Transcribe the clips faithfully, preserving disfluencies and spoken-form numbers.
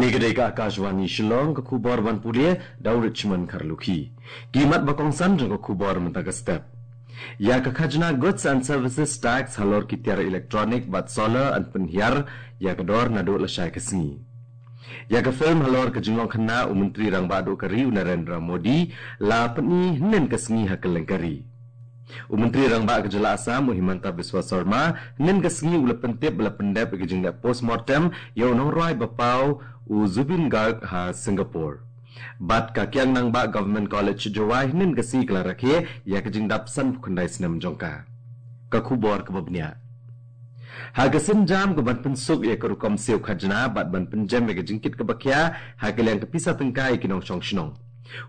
Ni ka dei ka Akashvani Shillong, ka khubor ban pule da u Richmond Kharlukhi. Ki mat ba kongsan jong ka khubor mynta ka step. Ïa ka khajna Goods and Services Tax halor ki tiar electronic bad solar yn pynhiar ïa ka dor naduh lashai ka sngi. Ïa ka film halor ka jinglong khynnah u Myntri Rangbah Duh ka ri u Narendra Modi la pyni hynnin ka sngi ha kylleng ka ri. U Myntri Rangbah ka jylla Assam u Himanta Biswa Sarma hynnin ka sngi u la pyntip ba la pyndep ïa ka jingleh postmortem ïa u nongrwai ba paw u Zubeen Garg ha Singapore. Bad ka Kiang Nangbah Government College Jowai hynnin ka sngi ka la rakhe ïa ka jingdap sanphew khyndai snem jong ka. Ka khubor kaba bniah. Ha ka sienjam ka ban pynsuk ïa ka rukom siew khajna bad ban pynjem ïa ka jingkit kaba khia ha ka liang ka pisa tyngka ïa ki nongshong shnong,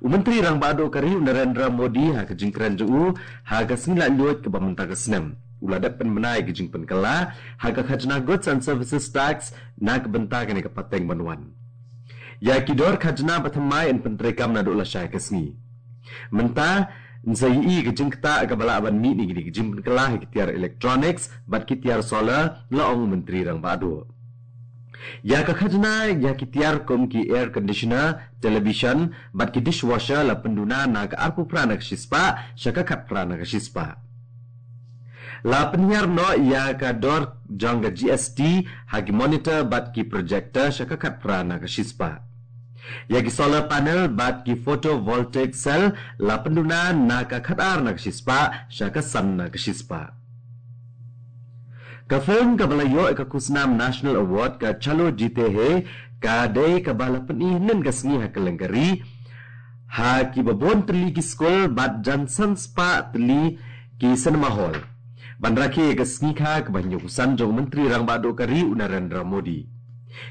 u Myntri Rangbah Duh ka ri u Narendra Modi ha ka jingkren jong u ha ka sngi Laitluid kaba mynta ka snem u la dep pynbna ïa ka jingpynkylla ha ka khajna Goods and Services Tax na ka bynta kane ka pateng ban wan. Ïa ki dor khajna ba thymmai yn pyntreikam naduh lashai ka sngi. Mynta yn sa ïohi ka jingktah kaba lah ban mih na kine ki jingpynkylla ha ki tiar electronics bad ki tiar solar, la ong u Myntri Rangbah Duh. Ïa ka khajna ïa ki tiar kum ki air conditioner, television bad ki dishwasher la pynduna na ka arphew phra na ka shispah sha ka khatphra na ka shispah. La pynhiar noh ïa ka dor jong ka G S T ha ki monitor bad ki projector sha ka khatphra na ka shispah. Ïa ki solar panel bad ki photovoltaic cell la pynduna na ka khatar na ka shispah sha ka san na ka shispah. Ka film kaba la ïoh ïa ka khusnam National Award, ka Chalo Jeete Hain, ka dei kaba la pyni hynnin ka sngi ha kylleng ka ri ha kiba bun tylli ki skul bad jan san spah tylli ki cinema hall, ban rakhe ïa ka sngi kha kaba hynñiewphew san jong u Myntri Rangbah Duh ka ri u Narendra Modi.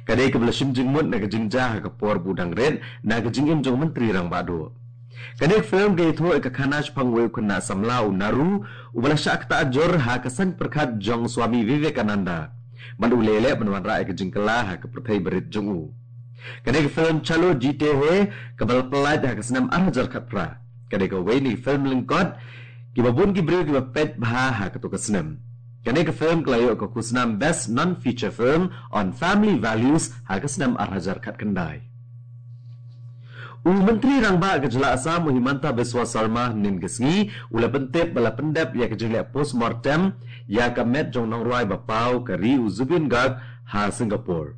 Ka dei kaba la shim jingmut na ka jingjia ha ka por ba u dang rit na ka jingim jong u Myntri Rangbah Duh. Kane ka film ka ïathuh ïa ka khana shaphang uwei u khynnah samla u Naru uba la shah ktah jur ha ka saiñ pyrkhat jong u Swami Vivekananda bad u leh leh ban wanrah ïa ka jingkylla ha ka pyrthei barit jong u. Kane ka film Chalo Jeete Hain kaba la pyllait ha ka snem ar hajar khatphra ka dei kawei na ki film lyngkot kiba bun ki briew kiba peit bha ha kato ka snem. Kane ka film ka la ïoh ka khusnam Best Non-Feature Film on Family Values ha ka snem ar hajar khatkhyndai. U Myntri Rangbah ka jylla Assam u Himanta Biswa Sarma hynnin ka sngi u la pyntip ba la pyndep ïa ka jingleh postmortem ïa ka met jong u nongrwai ba paw ka ri u Zubeen Garg ha Singapore.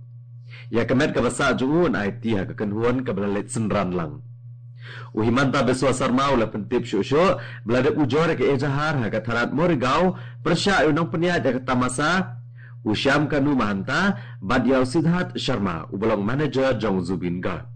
Ïa ka met kaba sah jong u yn aiti ha ka kynhun kaba la leit synran lang. U Himanta Biswa Sarma u la pyntip shuh shuh ba la dep ujor ïa ka ejahar ha ka tharat Morigaon pyrshah ïa u nongpynïaid ïa ka tamasa u Shyam Kanu Mahanta bad ïa u Siddharth Sharma uba long manager jong u Zubeen Garg.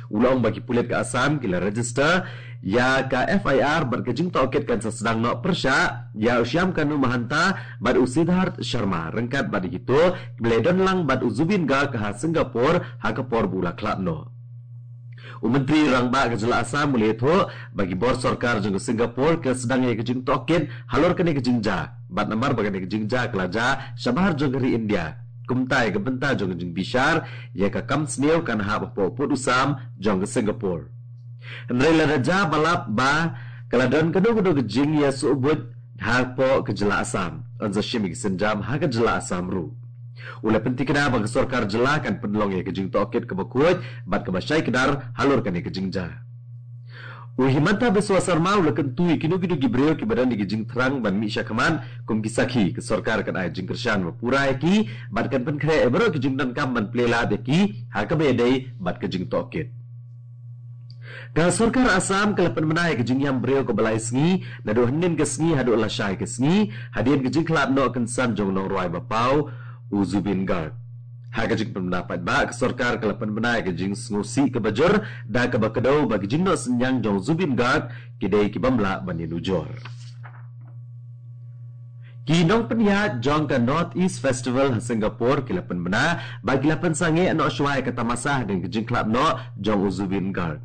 U la ong ba ki pulit ka Assam ki la register ïa ka F I R bad ka jingtohkit kan sa sdang noh pyrshah ïa u Shyam Kanu Mahanta bad u Siddharth Sharma ryngkat bad ïa kito kiba la don lang bad u Zubeen Garg ha Singapore ha ka por ba u la khlad noh. U Myntri Rangbah ka jylla Assam u la ïathuh ba ki bor sorkar jong ka Singapore ki la sdang ïa ka jingtohkit halor kane ka jingjia bad namar ba kane ka jingjia ka la jia shabar jong ka ri India, kumta ïa ka bynta jong ka jingbishar ïa ka kam sniew kan hap hapoh pud u sam jong ka Singapore. Hynrei lada jia ba lap ba ka la don kano kano ka jingïasuhbuit hapoh ka jylla Assam, yn sa shim ïa ki sienjam ha ka jylla Assam ruh. U la pyntikna ba ka sorkar jylla kan pynlong ïa ka jingtohkit kaba khuid bad kaba shai kdar halor kane ka jingjia. U Himanta Biswa Sarma u la kyntu ïa kino kino ki briew kiba don ïa ka jingthrang ban mih shakhmat kum ki sakhi, ka sorkar kan ai jingkyrshan ba pura ïa ki bad kan pynkhreh ïa baroh ki jingdonkam ban plie lad ïa ki ha kaba ïadei bad ka jingtohkit. Ka sorkar Assam ka la pynbna ïa ka jingïam briew kaba lai sngi naduh hynnin ka sngi haduh lashai ka sngi hadien ka jingkhlad noh kynsan jong u nongrwai ba paw u Zubeen Garg. Ha ka jingpynbna paidbah, ka sorkar ka la pynbna ïa ka jingsngewsih kaba jur da kaba kdew ba ka jingnoh synñiang jong u Zubeen Garg ki dei ki bym lah ban ïanujor. Ki nongpynïaid jong ka North East Festival ha Singapore ki la pynbna ba ki la pynsangeh noh shuwa ïa ka tamasa hadien ka jingkhlad noh jong u Zubeen Garg.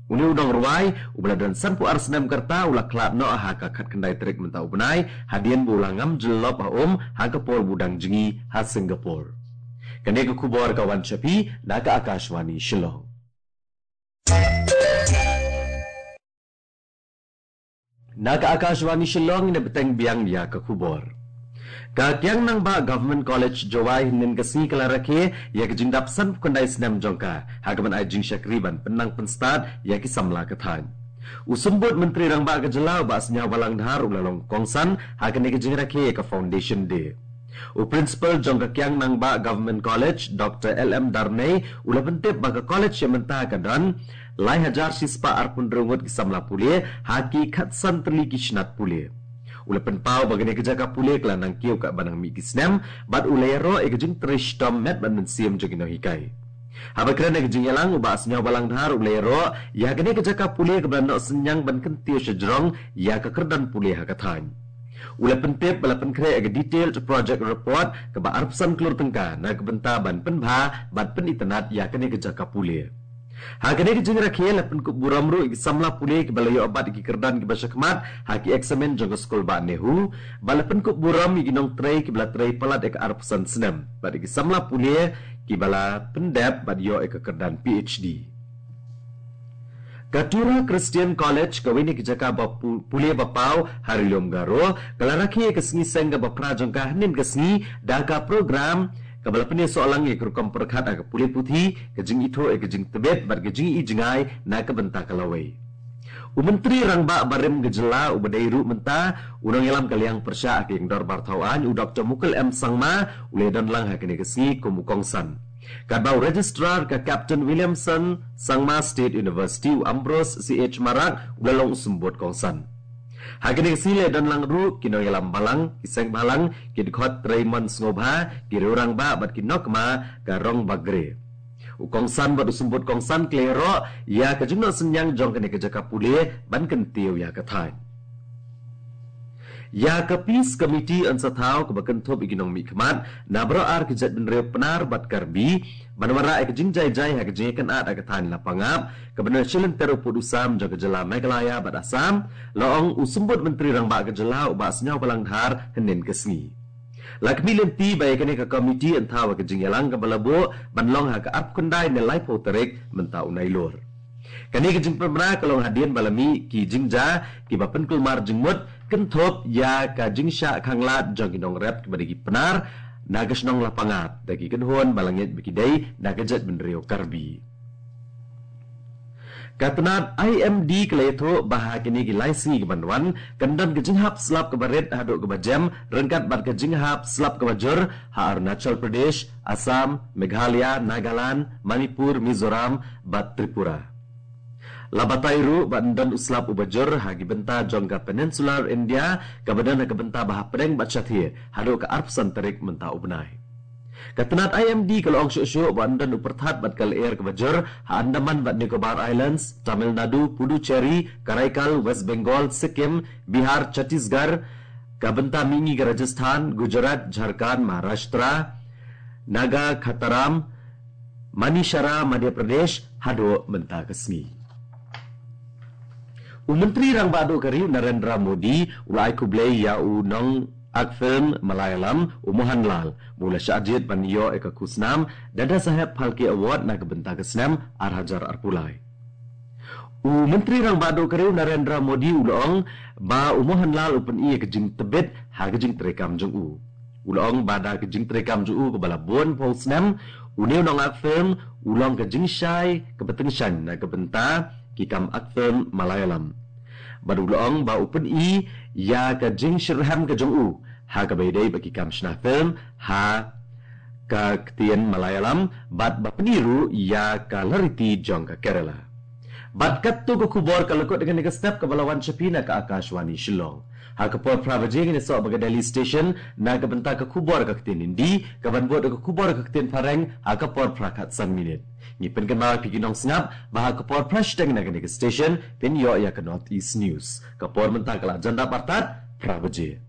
Une u nongrwai uba la don sanphew ar snem ka rta u la khlad noh ha ka khatkhyndai tarik mynta u bnai hadien ba u la ngam jyllop ha um ha ka por ba u dang jngi ha Singapore. Kane ka khubor ka wan sha phi na ka Akashvani Shillong. Na ka Akashvani Shillong, ngin bteng biang ïa ka khubor. Ka Kiang Nangbah Government College Jowai hynnin ka sngi ka la rakhe ïa ka jingdap sanphew khyndai snem jong ka ha kaban ai jingshakri ban pynnang pynstad ïa ki samla ka thaiñ. U Symbud Myntri Rangbah ka jylla u Bah Sniawbhalang Dhar u la long kongsan ha kane ka jingrakhe ïa ka Foundation Day. U Principal jong ka Kiang Nangbah Government College, Doctor L M Darnei, u la pyntip ba ka college ïa mynta ka don lai hajar shispah arphew hynriew ngut ki samla pule ha ki khatsan tylli ki shnat pule. U la pynpaw ba kane ka jaka pule ka la nang kiew katba nang mih ki snem, bad u la ïaroh ïa ka jingtrei shitom met bad mynsiem jong ki nonghikai. Haba kren ha ka jingïalang, u Bah Sniawbhalang Dhar u la ïaroh ïa kane ka jaka pule kaba la noh synñiang ban kyntiew sha jrong ïa ka kyrdan pule ha ka thaiñ. U la pyntip ba la pynkhreh ïa ka detailed project report kaba arphew san klur tyngka na ka bynta ban pynbha bad pynitynnad ïa kane ka jaka pule. Ha kane ka jingrakhe la pynkup burom ruh ïa ki samla pule kiba la ïoh bat ïa ki kyrdan kiba shakhmat ha ki eksamin jong ka skul bah NEHU, bad la pynkup burom ïa ki nongtrei kiba la trei palat ïa ka arphew san snem bad ïa ki samla pule kiba la pyndep bad ïoh ïa ka kyrdan P H D. Ka Tura Christian College, kawei na ki jaka ba pu-, pule ba paw ha Ri Lum Garo, ka la rakhe ïa ka sngi seng kaba phra jong ka hynnin ka sngi da ka program kaba la pynïasoh lang ïa ka rukom pyrkhat ha ka pule puthi, ka jingithuh ïa ka jingtbit bad ka jingïohi jngai na ka bynta ka lawei. U Myntri Rangbah barim ka jylla uba dei ruh mynta u nongïalam ka liang pyrshah ha ka dorbar thaw aiñ, u Doctor Mukul M Sangma, u la ïadon lang ha kane ka sngi kum u kongsan. Katba u Registrar ka Captain Williamson Sangma State University, u Ambrose C H Marak, u la long u symbud kongsan. Ha kane ka sngi la ïadon lang ruh ki nongïalam balang, ki seng bhalang, ki dkhot trei mon sngewbha, ki riew rangbah bad ki nongkma ka Rongbakgre. U kongsan bad u symbud kongsan ki la ïaroh ïa ka jingnoh synñiang jong kane ka jaka pule ban kyntiew ïa ka thaiñ. Ïa ka Peace Committee yn sa thaw kaba kynthup ïa ki nongmihkhmat na baroh ar ki jaitbynriew Pnar bad Karbi ban wanrah ïa ka jingjai jai ha ka jingïakynad ha ka thaiñ Lapangap, kaba na shilynter u pud u sam jong ka jylla Meghalaya bad Assam, la ong u symbud Myntri Rangbah ka jylla u Bah Sniawbhalang Dhar hynnin ka sngi. La khmih lynti ba ïa kane ka komiti yn thaw ha ka jingïalang kaba la buh ban long ha ka arphew khyndai ne laiphew tarik mynta u Nailur. Kane ka jingpynbna ka long hadien ba la mih ki jingjia kiba pynkulmar jingmut kynthup ïa ka jingshah khanglad jong ki nongrep kiba dei ki Pnar na ka shnong Lapangap da ki kynhun ba la ngeit ba ki dei na ka jaitbynriew Karbi. Ka tnat I M D ka la ïathuh ba ha kine ki lai sngi ki ban wan kan don ka jinghap slap kaba rit haduh kaba jem ryngkat bad ka jinghap slap kaba jur ha Arunachal Pradesh, Assam, Meghalaya, Nagaland, Manipur, Mizoram bad Tripura. La batai ruh ba yn don u slap uba jur ha ki bynta jong ka Peninsular India kaba don ha ka bynta ba hapdeng bad shathie haduh ka arphew san tarik mynta u bnai. Ka tnat I M D ka la ong shuh shuh ba yn don u pyrthat bad ka lyer kaba jur ha Andaman bad Nicobar Islands, Tamil Nadu, Puducherry, Karaikal, West Bengal, Sikkim, Bihar, Chhattisgarh, ka bynta mihngi ka Rajasthan, Gujarat, Jharkhand, Maharashtra, Naga Khataram, Manishara, Madhya Pradesh haduh mynta ka sngi. U Myntri Rangbah Duh ka ri u Narendra Modi u la ai khublei ïa u nong ak film Malayalam u Mohanlal ba u la shah jied ban ïoh ïa ka khusnam Dada Saheb Phalke Award na ka bynta ka snem ar hajar arphew lai. U Myntri Rangbah Duh ka ri u Narendra Modi u la ong ba u Mohanlal u pyni ïa ka jingtbit ha ka jingtreikam jong u. U la ong ba da ka jingtreikam jong u kaba la bun phew snem, une u nong ak film u long ka jingshai kaba tyngshaiñ na ka bynta ki kam ak film Malayalam. Bad u la ong ba u pyni ïa ka jingshitrhem ka jong u ha kaba ïadei bad ki kam shna film ha ka ktien Malayalam bad ba pyni ruh ïa ka lariti jong ka Kerala. Bad katto ka khubor ka la kut kane ka step kaba la wan sha phi na ka Akashvani Shillong. Ha ka por phra baje ngin ïasoh bad ka Delhi Station na ka bynta ka khubor ka ktien Hindi, kaban bud ka khubor ka ktien Phareng ha ka por phra khatsan minit. Ngi pynkynmaw ïa phi ki nongsngap ba ha ka por phra shiteng na kane ka station phin ïoh ïa ka North East News. Ka por mynta ka la jan dap artat phra baje.